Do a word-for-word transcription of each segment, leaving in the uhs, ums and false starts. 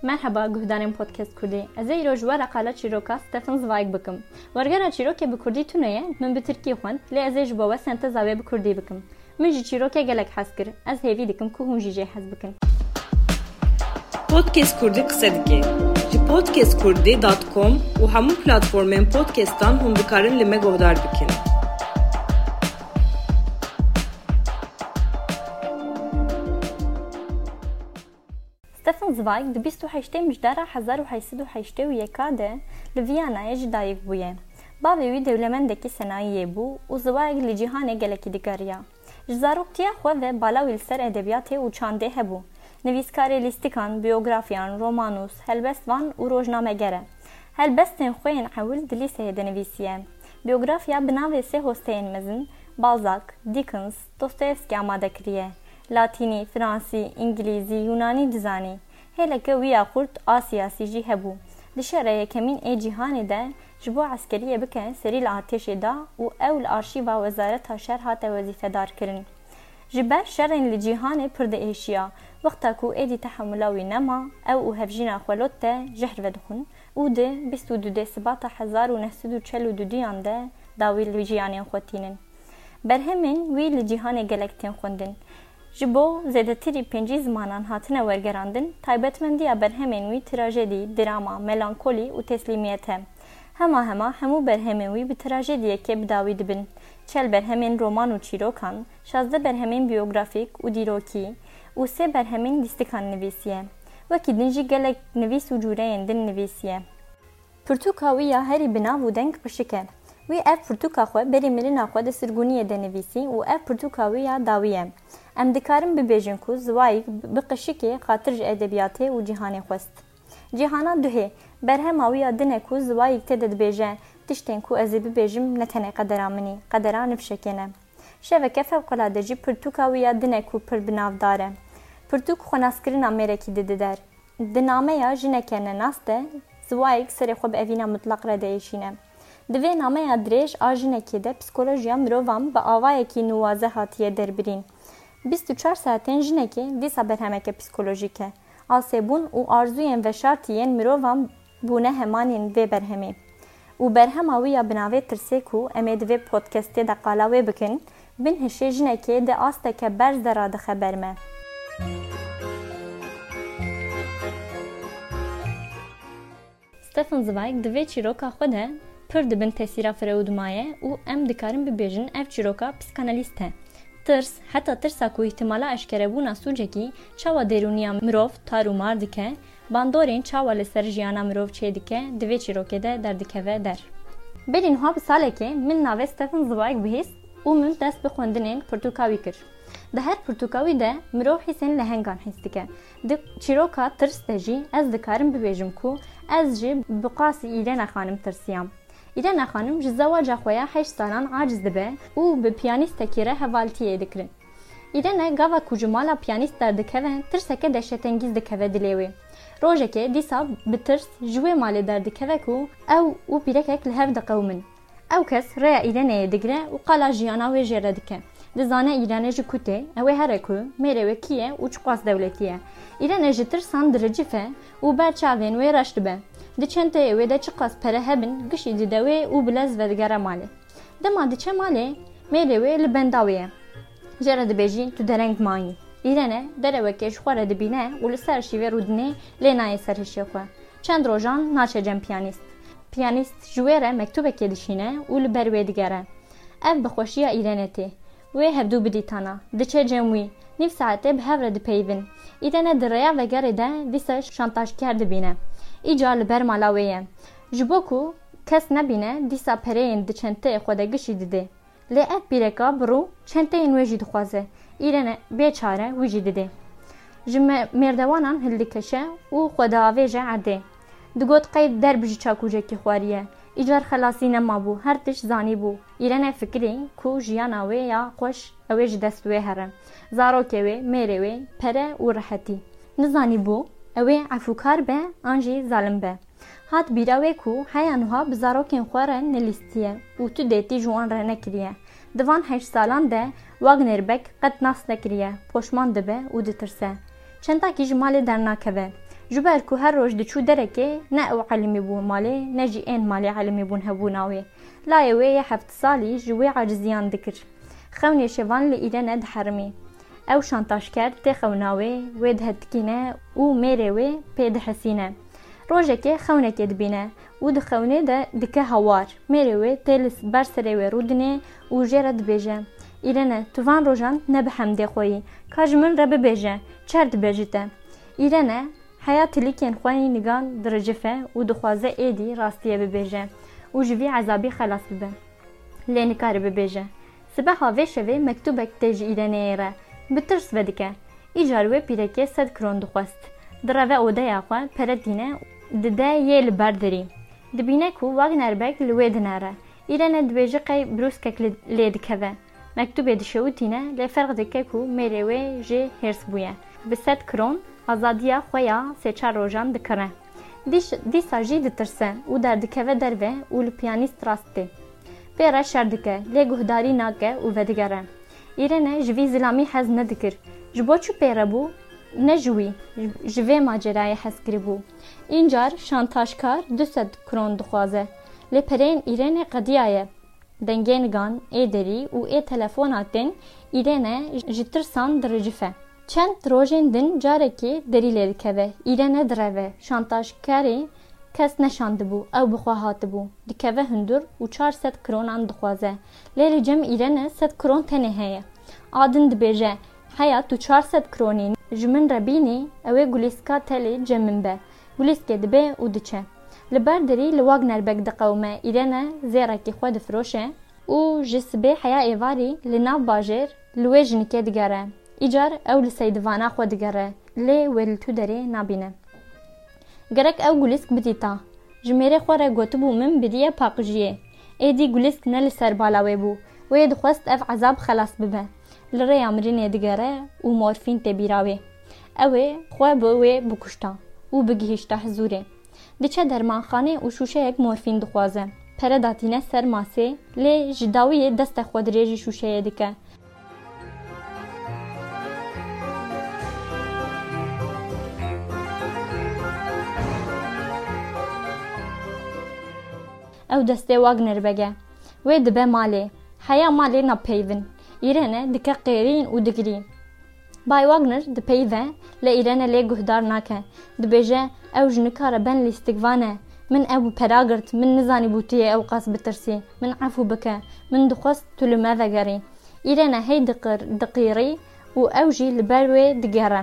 Merheba guhdarên Podcast Kurdî. Ez ê îro ji we re qala çîroka Stefan Zweig bikim. Wergera çîrokê bi kurdî tune ye, min bi tirkî xwend, lê ez ê ji bo we senteza wê bi kurdî bikim. Min ji çîrokê gelek hez kir. Ez hêvî dikim ku hûn jî jê hez bikin. Podcast Kurdî qise dike. Ji podcast kurdî dot com û hemû platformên podcastan hûn dikarin li me guhdar bikin. Stefan Zweig di bîst û heştê Mijdara hezar û heşt sed û heştê û yeka de li Viyanayê ji dayik bûye. Bavê wî dewlemendekî senayiyê bû û Zweig li cîhanê gelekî digeriya. Ji zaroktiya xwe ve bala wî li ser edebiyatê û çandê hebû. Nivîskarê lîstikan, biyografiyan, romanûs, helbestvan û rojnameger e. Helbestên xwe yên ewil di lîseyê de nivîsiye. Biyografiya bi navê sê hosteyên mezin, Balzac, Dickens, Dostoyevsky amade kiriye. Latînî, fransî, îngilîzî, yûnanî dizanî. Hêleke wî ya xurt a siyasî jî hebû. Di Şerê Yekemîn ê Cîhanê de ji bo eskeriyê bike serî li artêşê da û ew li arşîva Wezareta Şer hate wezîfedar kirin. Ji ber şerên li cîhanê pir diêşiya. Wexta ku êdî tehemula wî nema, ew û hevjîna xwe Lotte jehr vedixwin û di bîst û dudê Sibata hezar û neh sed û çel û duduyan de dawî li jiyanên xwe tînin. Berhemên wî li cîhanê gelek tên xwendin. Ji bo zêdetirî pêncî zimanan hatine wergerandin, taybetmendiya berhemên wî trajedî, drama, melankolî û teslîmiyet e. Hema hema hemû berhemên wî bi trajediyekê bi dawî dibin. Çel berhemên roman û çîrokan, şazdeh berhemên biyografîk û dîrokî û sê berhemên lîstikan nivîsiye. Wekî din jî gelek nivîs û cûreyên din nivîsiye. Pirtûka wî ya herî bi nav û deng Qişik e. Wî ev pirtûka xwe berî mirina xwe di sirgûniyê de nivîsî û ev pirtûka wî ya dawî ye. Em dikarin bibêjin ku Zweig bi qişikê xatir ji edebiyatê û cîhanê xwest. Cîhana duhê, berhema wî ya din e ku Zweig tê de dibêje, tiştên ku ez ê bibêjim ne tenê qedera min î, qedera nifşekê ne. Şeveke fewqelade jî pirtûka wî ya din e ku pir bi navdar e. Pirtûk xwenaskirina mêrekî dide der. Di nameya Jineke Nenas de Zweig serê xwe bi evîna mutlaq re diêşîne. Di vê nameya dirêj a jinekê de psîkolojiya mirovan bi awayekî nuwaze hatiye derbirîn. Bîst û çar saetên jinekê dîsa berhemeke psîkolojîk e. Asêbûn û arzûyên veşartî yên mirovan bûne hemanên vê berhemê. Û berhema wî ya bi navê Tirsê ku em ê di vê podcastê de qala wê bikin, bin hişê jinekê di asteke berz de radixe ber me. Stefan Zweig di vê çîroka xwe de pir di bin tesîra Freud maye û em dikarin bibêjin ev çîroka psîkanalîst e. Tirs, heta tirsa ku îhtimala eşkerebûna sûcekî çawa derûniya mirov tar û mar dike, bandorên çawa li ser jiyana mirov çêdike, di vê çîrokê de derdikeve der. Berî niha bi salekê min navê Stefan Zweig bihîst û min dest bi xwendinên pirtûka wî kir. Di her pirtûka wî de mirov hîsên lehengan hîs dike. Di çîroka Tirs de jî ez dikarim bibêjim ku ez jî bi qasî Îrene Xanim tirsiyam. Îrene Xanim ji zewaca xwe ya heşt salan aciz dibe û bi piyanîstekî re hevaltiyê dikirin. Îrene gava ku ji mala piyanîst derdikeve, tirseke dehşetengîz dikeve dilê wê. Rojekê dîsa bi tirs ji wê malê derdikeve ku ew û pîrekek li hev diqewimin. Ew kes rêya Îreneyê digire û qala jiyana wê jê re dike. Dizane Îrene ji ku tê, ew ê here ku, mêrê wê kî ye û çiqas dewletî ye. Îrene ji tirsan diricife û ber çavên wê reş dibe. Di çenteyê wê de çiqas pere hebin, gişî dide wê û bi lez vedigere malê. Dema diçe malê, mêrê wê li benda wê ye. Jê re dibêjî, tu dereng mayî. Îrene derewekê ji xwe re dibîne û li ser şîvê rûdinê lê nayê ser hişê xwe. Çend rojan naçe cem piyanîst. Piyanîst ji wê re mektûbekê dişîne û li ber wê digere. Ev bi xweşiya Îrene tê. Wê hevdû bidîtana. Diçe cem wî. Nîv saetê bi hev re dipeyivin. Îrene di rêya vegerê de dîsa şantajker dibîne. Îcar li ber mala wê ye. Ji bo ku kes nebîne, dîsa pereyên di çenteyê xwe de gişî didê. Lê ev pîreka bi rû çenteyên wê jî dixwaze. Îrene bê çare wî jî didê. Ji me-, mêrdewanan hildikeşe û xwe diavêje erdê. Digot qey derb ji çakûcekî xwariye. Îcar xelasî nemabû, her tişt zanîbû. Îrene fikirî ku jiyana wê ya xweş ew ê ji dest wê here. Zarokê wê, mêrê wê, pere û rehetî. Nizanîbû ew ê efûkar be an jî zalim be. Hat bîra wê ku heya niha bi zarokên xwe re nelîstiye û tu dêtî ji wan re nekiriye. Di van heşt salan de Wagner Bek qet nas nekiriye, poşman dibe û ditirse. Çendakî ji malê dernakeve. Ji ber ku her roj diçû derekê, ne ew elimî bû malê, ne jî ên malê elimî bûn hebûna wê. Layê wê yê heft salî ji wê aciziyan dikir. Xewnê şevan li Îrene diherimî. Ew şantajker tê xewna wê, wê dihetikîne û mêrê wê pê dihesîne. Rojekê xewnekê dibîne û di xewnê de dike hawar. Mêrê wê tê li ber serê wê rûdinê û jê re dibêje, Îrene, tu van rojan ne bi hemdê xwe yî. Ka ji min re bibêje, çer dibe ji te? Îrene heya tilîkên xwe yî nigan diricife û dixwaze êdî rastiyê bibêje û ji vî ezabî xelas bibe. Lê nikare bibêje. Sibeha vê şevê mektûbek tê ji Îreneyê re. Bi tirs vedike. Îcar wê pîrekê sed kron dixwest. Direve odeya xwe, pere tîne, dide yê li ber derî. Dibîne ku Wagner beg li wê dinere. Îrene dibêje qey brûskek li, lê dikeve. Mektûbê dişewitîne, lê ferq dike ku mêrê wê jê hêrs bûye. Bi sed kron azadiya xwe ya sê çar rojan dikire. Dîş-, dîsa jî ditirse û derdikeve derve û li piyanîst rast tê. Pê re şer dike, lê guhdarî nake û vedigere. Îrene ji vî zilamî hez nedikir. Ji bo çi pê re bû? Ne ji wî, ji vê macerayê hez kiribû. Încar şantajkar du sed kron dixwaze. Lê pereyên Îrene qediyaye. Dengê nigan, ê derî û ê telefona tên Îrene ji tirsan diricife. Çend rojên din carekê derî lê dikeve. Îrene direve. Şantajkarê kes neşandibû, ew bi xwe hatibû. Dikeve hundir û çar sed kronan dixwaze. Lê li cem Îrene sed kron tenê heye. A din dibêje, Heya tu çar sed kronî ji min re bînî, ew ê gulîska te li cem min be. Gulîskê dibe û diçe. Li ber derî li Wagner beg diqewime, Îrene zêrekî xwe difiroşe û ji sibê heya êvarî li nav bajêr li wê jinikê digere. Îcar ew li seydivana xwe digere, lê wê li tu derê nabîne. Gerek ew gulîsk bidîta. Ji mêrê xwe re gotibû min bidiye paqijiyê. Êdî gulîsk ne li ser bala wê bû. Wê dixwest ev ezab xelas bibe. Li rêya mirinê digere û morfîn tê bîra wê. Ew ê xwe bi wê bikuşta û bigihîşta hizûrê. Diçe dermanxanê û şûşeyek morfîn dixwaze. Pere datîne ser masê, lê ji dawiyê destê xwe dirêjî şûşeyê dike. Ew destê Wagner bege. Wê dibe malê. Heya malê napeyvin. Îrene dike qêrîn û digirî. Bay Wagner dipeyive, lê Îrene lê guhdar nake. Dibêje, Ew ji nikare ben lîstikvan e. Min ew bi pera girt, min nizanîbû tu yê ew qas bitirsî. Min efû bike. Min dixwest tu li me vegerî. Îrene hey diqir-, diqîrî û ew jî li ber wê digere.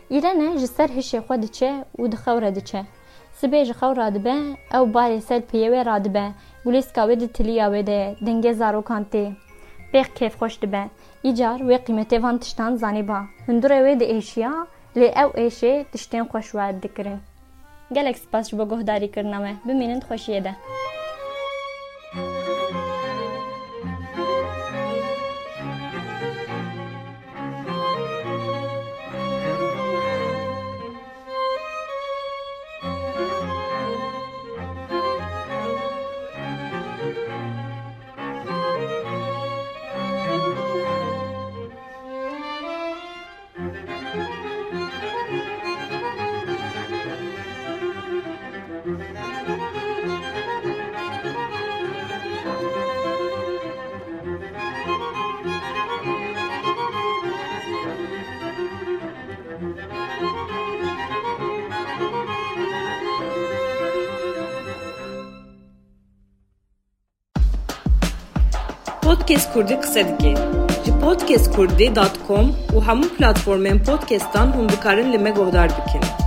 Îrene ji ser hişê xwe diçe û di xew re diçe. Sibê ji xew radibe, ew barê ser piyê wê radibe. Gulîska wê di tiliya wê de ye, dengê zarokan tê. Pêx kêfxweş dibe. Îcar wê qîmetê van tiştan zanîba. Hundirê wê diêşiya, lê ew êşê tiştên xweş werd dikirin. Gelek spas ji bo guhdarîkirina me. Bimînin di xweşiyê de. Podcast Kurdî qise dike. Ji podcast kurdî dot com û hemû platformên podcastan hûn dikarin li me guhdar bikin.